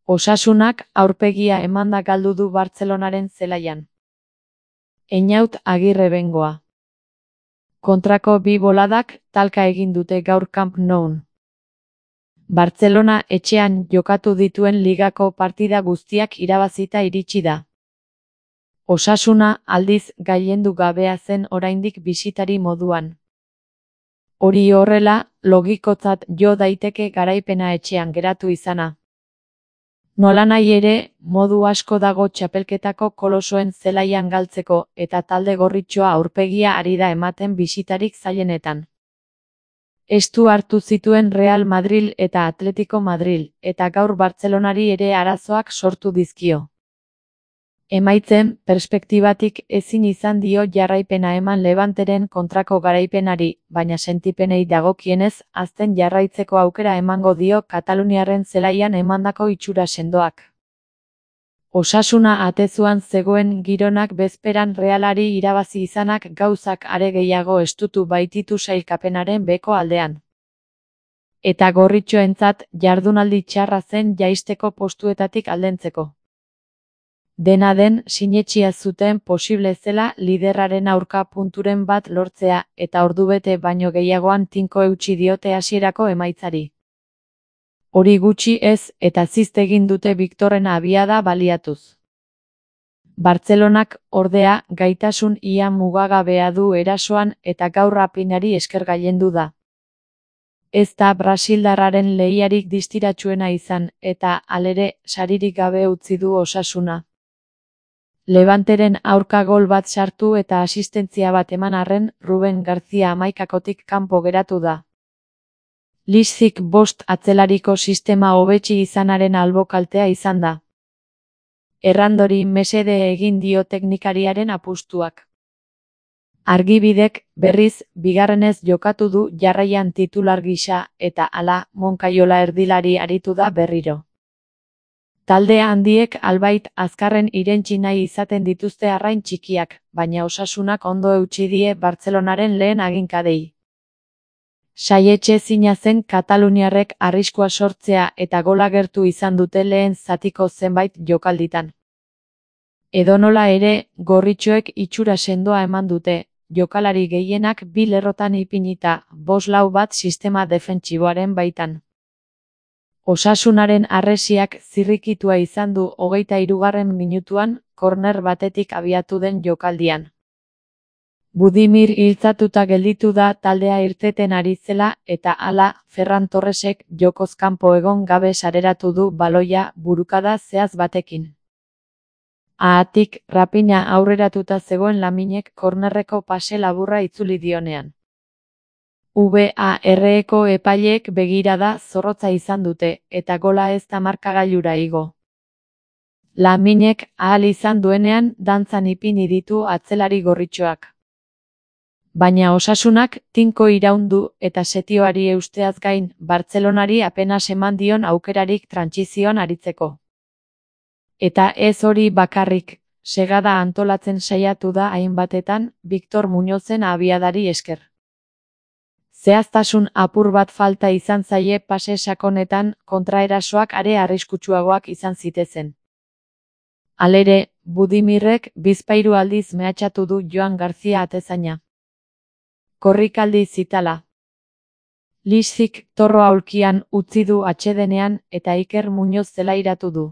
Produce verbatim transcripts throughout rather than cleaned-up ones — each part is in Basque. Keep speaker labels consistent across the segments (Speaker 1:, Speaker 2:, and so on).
Speaker 1: Osasunak aurpegia emanda galdu du Bartzelonaren zelaian. Einaut Agirre Bengoa. Kontrako bi boladak talka egin dute gaur Camp Noun. Bartzelona etxean jokatu dituen ligako partida guztiak irabazita iritsi da. Osasuna aldiz gailendu gabea zen oraindik bisitari moduan. Hori horrela, logikotzat jo daiteke garaipena etxean geratu izana. Nolanahi ere, modu asko dago txapelketako kolosoen zelaian galtzeko eta talde gorritxoa aurpegia ari da ematen bisitarik zailenetan. Estu hartu zituen Real Madril eta Atletico Madril, eta gaur Bartzelonari ere arazoak sortu dizkio. Emaitzen perspektibatik ezin izan dio jarraipena eman Levanteren kontrako garaipenari, baina sentipenei dagokienez hazten jarraitzeko aukera emango dio Kataluniarren zelaian emandako itxura sendoak. Osasuna atezuan zegoen gironak bezperan Realari irabazi izanak gauzak are gehiago estutu baititu sailkapenaren beheko aldean. Eta gorritxoentzat jardunaldi txarra zen jaisteko postuetatik aldentzeko. Dena den, sinetsia zuten posible zela liderraren aurka punturen bat lortzea, eta ordubete baino gehiagoan tinko eutsi diote hasierako emaitzari. Hori gutxi ez, eta zizt egin dute Victorren abiada baliatuz. Bartzelonak, ordea, gaitasun ia mugagabea du erasoan eta gaur Rapinari esker gailendu da. Ez da brasildarraren lehiarik distiratsuena izan, eta, halere, saririk gabe utzi du Osasuna. Levanteren aurka gol bat sartu eta asistentzia bat eman arren, Ruben García hamaikakotik kanpo geratu da. Liszik bost atzelariko sistema hobetsi izanaren albokaltea izan da. Errandori mesede egin dio teknikariaren apustuak. Argibidek, berriz, bigarrenez jokatu du jarraian titular gisa, eta hala, Monkaiola erdilari aritu da berriro. Talde handiek albait azkarren irentsi nahi izaten dituzte arrain txikiak, baina Osasunak ondo eutsi die Bartzelonaren lehen aginkadei. Saietxe zina zen kataluniarrek arriskua sortzea eta gola gertu izan dute lehen zatiko zenbait jokalditan. Edonola ere, gorritxoek itxura sendoa eman dute, jokalari gehienak bi lerrotan ipinita, bost lau bat sistema defentsiboaren baitan. Osasunaren harresiak zirrikitua izan du hogeita hirugarren minutuan, korner batetik abiatu den jokaldian. Budimir hiltzatuta gelditu da taldea irteten ari zela eta hala, Ferran Torresek jokoz kanpo egon gabe sareratu du baloia burukada zehatz batekin. Haatik, Rapina aurreratuta zegoen Laminek kornerreko pase laburra itzuli dionean. V A R-eko epaileek begirada zorrotza izan dute, eta gola ez da markagailura igo. Laminek ahal izan duenean dantzan ipini ditu atzelari gorritxoak. Baina Osasunak tinko iraundu eta setioari eusteaz gain, Bartzelonari apenas eman dion aukerarik trantsizioan aritzeko. Eta ez hori bakarrik, segada antolatzen saiatu da hainbatetan, Victor Muñozen abiadari esker. Zehaztasun apur bat falta izan zaie pase sakonetan, kontraerasoak are arriskutsuagoak izan zitezen. Halere, Budimirrek bizpahiru aldiz mehatxatu du Joan García atezaina. Korrikaldi zitala. Liszik torro aulkian utzi du atsedenean eta Iker Muñoz zelairatu du.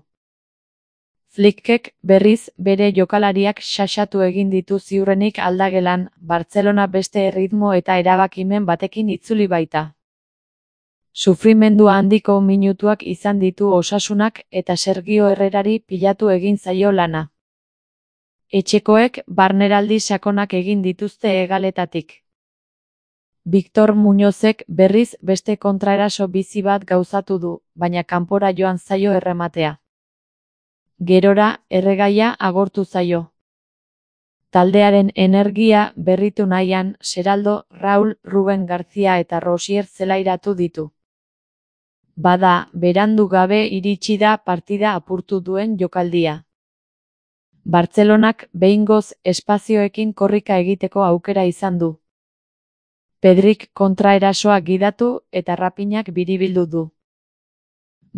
Speaker 1: Flickek, berriz, bere jokalariak xaxatu egin ditu ziurrenik aldagelan, Bartzelona beste erritmo eta erabakimen batekin itzuli baita. Sufrimendu handiko minutuak izan ditu Osasunak eta Sergio Herrerari pilatu egin zaio lana. Etxekoek barneraldi sakonak egin dituzte hegaletatik. Victor Muñozek berriz beste kontraeraso bizi bat gauzatu du, baina kanpora joan zaio errematea. Gerora, erregaia agortu zaio. Taldearen energia berritu nahian, Seraldo, Raul, Ruben García eta Rosier zelairatu ditu. Bada, berandu gabe iritsi da partida apurtu duen jokaldia. Bartzelonak behingoz espazioekin korrika egiteko aukera izan du. Pedrik kontraerasoa gidatu eta Rapinak biribildu du.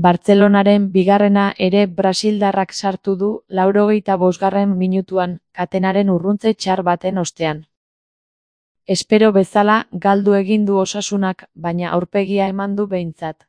Speaker 1: Bartzelonaren bigarrena ere brasildarrak sartu du laurogeita bosgarren minutuan, katenaren urruntze txar baten ostean. Espero bezala, galdu egin du Osasunak, baina aurpegia eman du behintzat.